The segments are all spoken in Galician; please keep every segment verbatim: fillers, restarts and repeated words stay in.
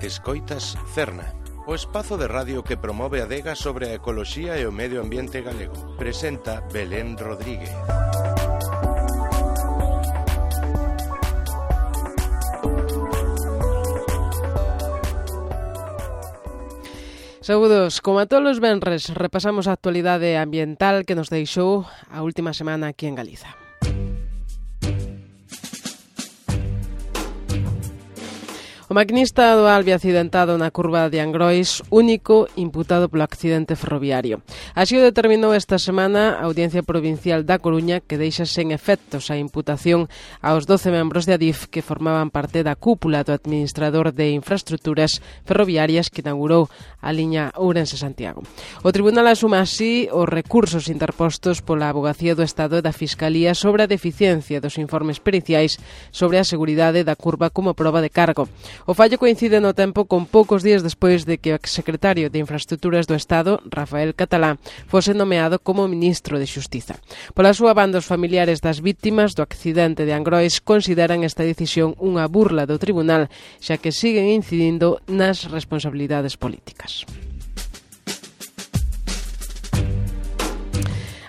Escoitas Cerna, o espazo de radio que promove a adega sobre a ecoloxía e o medio ambiente galego. Presenta Belén Rodríguez. Saúdos, como a todos os venres, repasamos a actualidade ambiental que nos deixou a última semana aquí en Galiza. O maquinista do Alvia accidentado na curva de Angrois, único imputado polo accidente ferroviario. Así o determinou esta semana a Audiencia Provincial da Coruña, que deixa sen efectos a imputación aos doce membros de Adif que formaban parte da cúpula do administrador de infraestructuras ferroviarias que inaugurou a liña Ourense-Santiago. O Tribunal asuma así os recursos interpostos pola Avogacía do Estado e da Fiscalía sobre a deficiencia dos informes periciais sobre a seguridade da curva como proba de cargo. O fallo coincide no tempo con poucos días despois de que o exsecretario de Infraestructuras do Estado, Rafael Catalá, fose nomeado como ministro de Xustiza. Pola súa banda, os familiares das vítimas do accidente de Angrois consideran esta decisión unha burla do tribunal, xa que siguen incidindo nas responsabilidades políticas.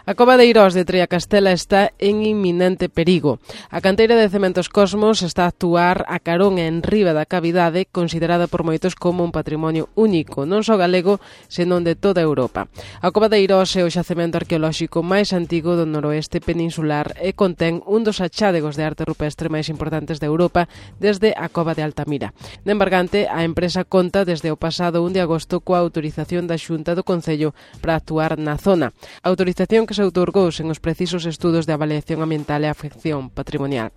A cova de Eirós de Triacastela está en inminente perigo. A canteira de Cementos Cosmos está a actuar a carón en riba da cavidade, considerada por moitos como un patrimonio único, non só galego, senón de toda Europa. A cova de Eirós é o xacemento arqueolóxico máis antigo do noroeste peninsular e contén un dos achádegos de arte rupestre máis importantes de Europa desde a cova de Altamira. De embargante, a empresa conta desde o pasado un de agosto coa autorización da Xunta do Concello para actuar na zona. A autorización que se outorgou sen os precisos estudos de avaliación ambiental e afección patrimonial.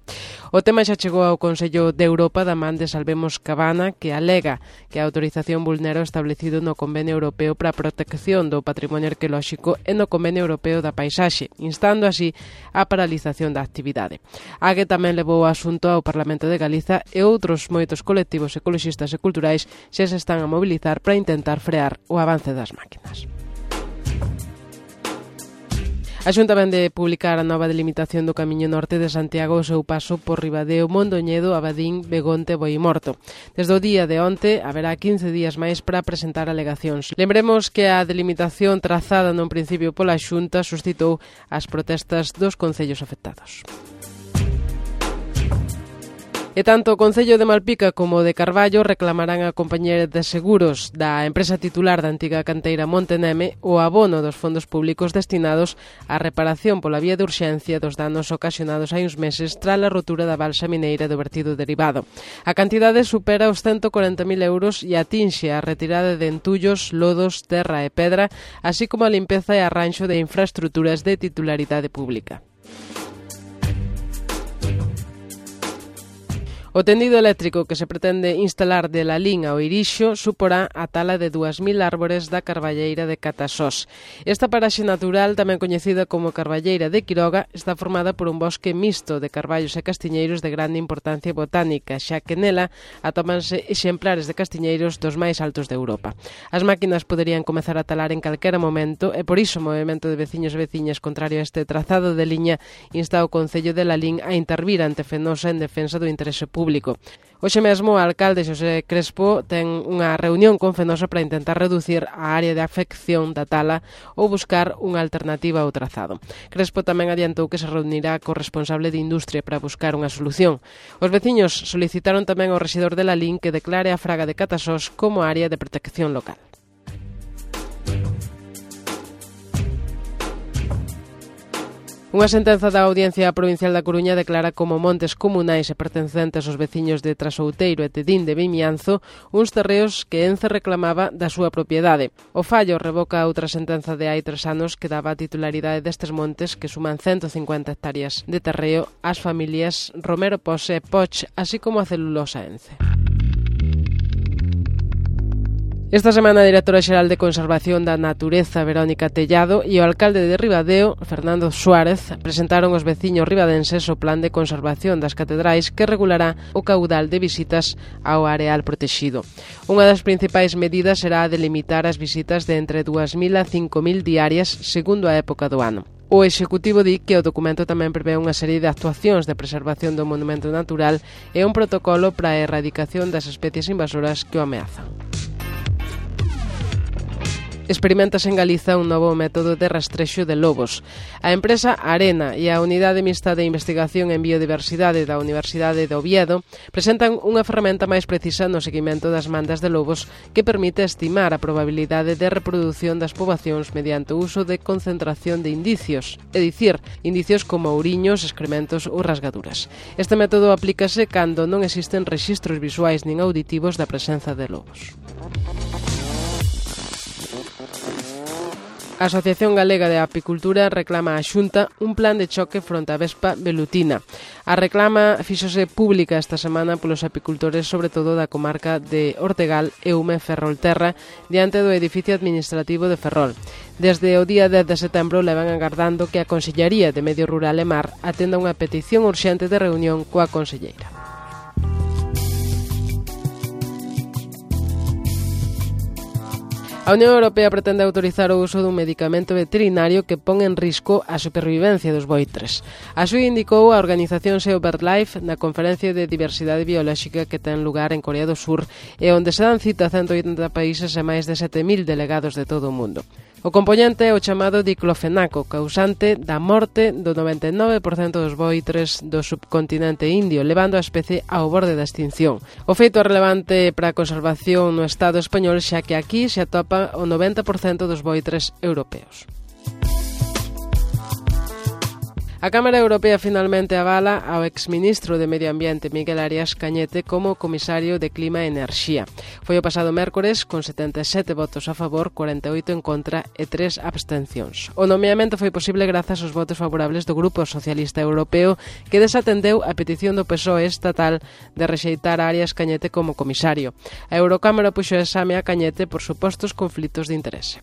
O tema xa chegou ao Consello de Europa da man de Salvemos Cabana, que alega que a autorización vulnera o establecido no Convenio Europeo para a Protección do Patrimonio Arqueolóxico e no Convenio Europeo da Paisaxe, instando así a paralización da actividade. A que tamén levou o asunto ao Parlamento de Galiza e outros moitos colectivos ecoloxistas e culturais xa se están a mobilizar para intentar frear o avance das máquinas. A Xunta vén de publicar a nova delimitación do Camiño Norte de Santiago ao seu paso por Ribadeo, Mondoñedo, Abadín, Begonte, Boimorto. Desde o día de onte haberá quince días máis para presentar alegacións. Lembremos que a delimitación trazada nun principio pola Xunta suscitou as protestas dos concellos afectados. E tanto o Concello de Malpica como o de Carballo reclamarán a compañía de seguros da empresa titular da antiga canteira Monteneme o abono dos fondos públicos destinados á reparación pola vía de urxencia dos danos ocasionados hai uns meses tras a rotura da balsa mineira do vertido derivado. A cantidade supera os ciento corenta mil euros e atinxe a retirada de entullos, lodos, terra e pedra, así como a limpeza e arranxo de infraestructuras de titularidade pública. O tendido eléctrico que se pretende instalar de Lalín ao Irixo suporá a tala de dúas mil árbores da carballeira de Catasós. Esta paraxe natural, tamén coñecida como carballeira de Quiroga, está formada por un bosque mixto de carballos e castiñeiros de grande importancia botánica, xa que nela atómanse exemplares de castiñeiros dos máis altos de Europa. As máquinas poderían comezar a talar en calquera momento e por iso o movimento de veciños e veciñas contrario a este trazado de liña insta o Concello de Lalín a intervir ante Fenosa en defensa do interese público. público. Hoxe mesmo o alcalde Xosé Crespo ten unha reunión con Fenosa para intentar reducir a área de afección da tala ou buscar unha alternativa ao trazado. Crespo tamén adiantou que se reunirá co responsable de industria para buscar unha solución. Os veciños solicitaron tamén ao rexedor de Lalín que declare a Fraga de Catasós como área de protección local. Unha sentenza da Audiencia Provincial da Coruña declara como montes comunais e pertencentes aos veciños de Trasouteiro e Tedín de Vimianzo uns terreos que Ence reclamaba da súa propiedade. O fallo revoca outra sentenza de hai tres anos que daba a titularidade destes montes que suman ciento cincuenta hectáreas de terreo ás familias Romero Pose e Poch, así como a Celulosa Ence. Esta semana a Directora Xeral de Conservación da Natureza, Verónica Tellado, e o alcalde de Ribadeo, Fernando Suárez, presentaron aos veciños ribadenses o plan de conservación das catedrais que regulará o caudal de visitas ao areal protexido. Unha das principais medidas será a de limitar as visitas de entre dúas mil a cinco mil diarias segundo a época do ano. O Executivo di que o documento tamén prevé unha serie de actuacións de preservación do monumento natural e un protocolo para a erradicación das especies invasoras que o ameazan. Experimentase en Galiza un novo método de rastrexo de lobos. A empresa Arena e a Unidade Mixta de Investigación en Biodiversidade da Universidade de Oviedo presentan unha ferramenta máis precisa no seguimento das mandas de lobos que permite estimar a probabilidade de reproducción das poboacións mediante o uso de concentración de indicios, é dicir, indicios como ouriños, excrementos ou rasgaduras. Este método aplícase cando non existen rexistros visuais nin auditivos da presenza de lobos. A Asociación Galega de Apicultura reclama á Xunta un plan de choque fronte á vespa velutina. A reclama fíxose pública esta semana polos apicultores, sobre todo da comarca de Ortegal, Eume, Ferrolterra, diante do edificio administrativo de Ferrol. Desde o día dez de setembro levan agardando que a Consellería de Medio Rural e Mar atenda unha petición urxente de reunión coa conselleira. A Unión Europea pretende autorizar o uso dun medicamento veterinario que pon en risco a supervivencia dos boitres. Así indicou a organización SEO BirdLife na conferencia de diversidade biolóxica que ten lugar en Corea do Sur e onde se dan cita a ciento oitenta países e máis de sete mil delegados de todo o mundo. O componente é o chamado diclofenaco, causante da morte do noventa e nove por cento dos boitres do subcontinente indio, levando a especie ao borde da extinción. O feito é relevante para a conservación no Estado español, xa que aquí se atopa o noventa por cento dos boitres europeos. A Cámara Europea finalmente avala ao exministro de Medio Ambiente Miguel Arias Cañete como comisario de Clima e Enerxía. Foi o pasado mércores con setenta e sete votos a favor, cuarenta e oito en contra e tres abstencións. O nomeamento foi posible grazas aos votos favorables do Grupo Socialista Europeo, que desatendeu a petición do P S O E estatal de rexeitar a Arias Cañete como comisario. A Eurocámara puxo exame a Cañete por supostos conflitos de interese.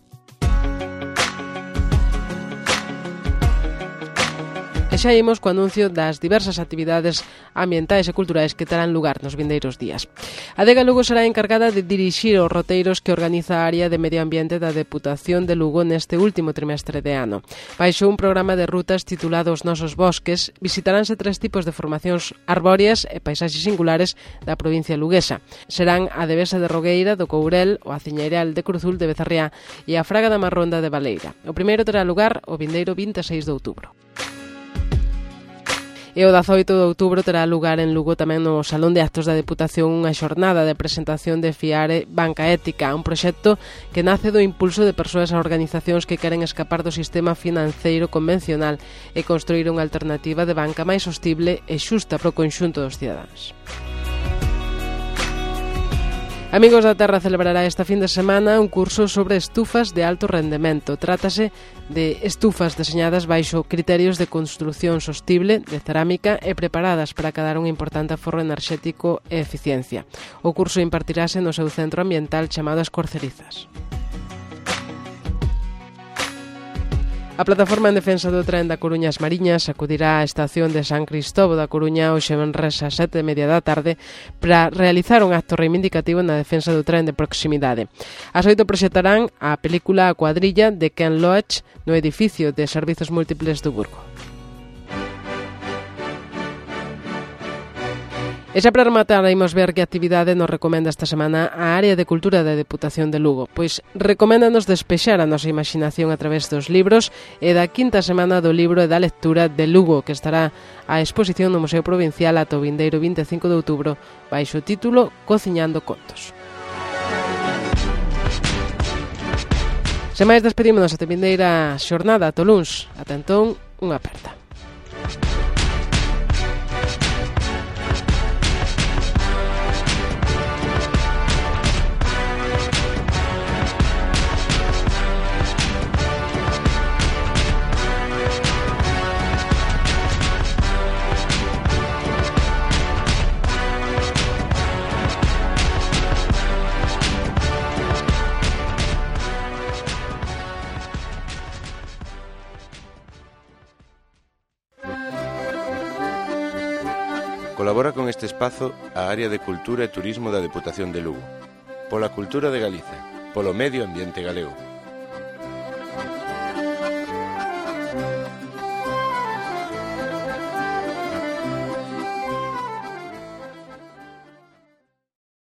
E xa imos co anuncio das diversas actividades ambientais e culturais que terán lugar nos vindeiros días. A Adega Lugo será encargada de dirixir os roteiros que organiza a área de medio ambiente da Deputación de Lugo neste último trimestre de ano. Baixo un programa de rutas titulado Os Nosos Bosques, visitaránse tres tipos de formacións arbóreas e paisaxes singulares da provincia luguesa. Serán a Devesa de Rogueira, do Courel, o Aciñeiral de Cruzul de Becerriá e a Fraga da Marronda de Baleira. O primeiro terá lugar o vindeiro vinte e seis de outubro. E o dezaoito de outubro terá lugar en Lugo tamén no Salón de Actos da Deputación unha xornada de presentación de Fiare Banca Ética, un proxecto que nace do impulso de persoas e organizacións que queren escapar do sistema financeiro convencional e construir unha alternativa de banca máis sostible e xusta para o conxunto dos cidadáns. Amigos da Terra celebrará esta fin de semana un curso sobre estufas de alto rendemento. Trátase de estufas deseñadas baixo criterios de construción sostible, de cerámica e preparadas para acadar un importante aforro enerxético e eficiencia. O curso impartirase no seu centro ambiental chamado Escorcerizas. A Plataforma en Defensa do Tren da Coruña As Mariñas acudirá á estación de San Cristobo da Coruña hoxe venres ás sete e media da tarde para realizar un acto reivindicativo na defensa do tren de proximidade. As oito proxectarán a película A Cuadrilla de Ken Loach no edificio de servizos múltiples do Burgo. E xa para rematar, imos ver que actividade nos recomenda esta semana a Área de Cultura da Deputación de Lugo. Pois recoméndanos despexar a nosa imaginación a través dos libros e da quinta semana do libro e da lectura de Lugo, que estará a exposición no Museo Provincial ata o vindeiro vinte e cinco de outubro, baixo o título Cociñando Contos. Sen máis, despedímonos ata a vindeira xornada, ata o luns. Ata entón, unha aperta. Colabora con este espazo a Área de Cultura e Turismo da Deputación de Lugo. Pola cultura de Galiza, polo medio ambiente galego.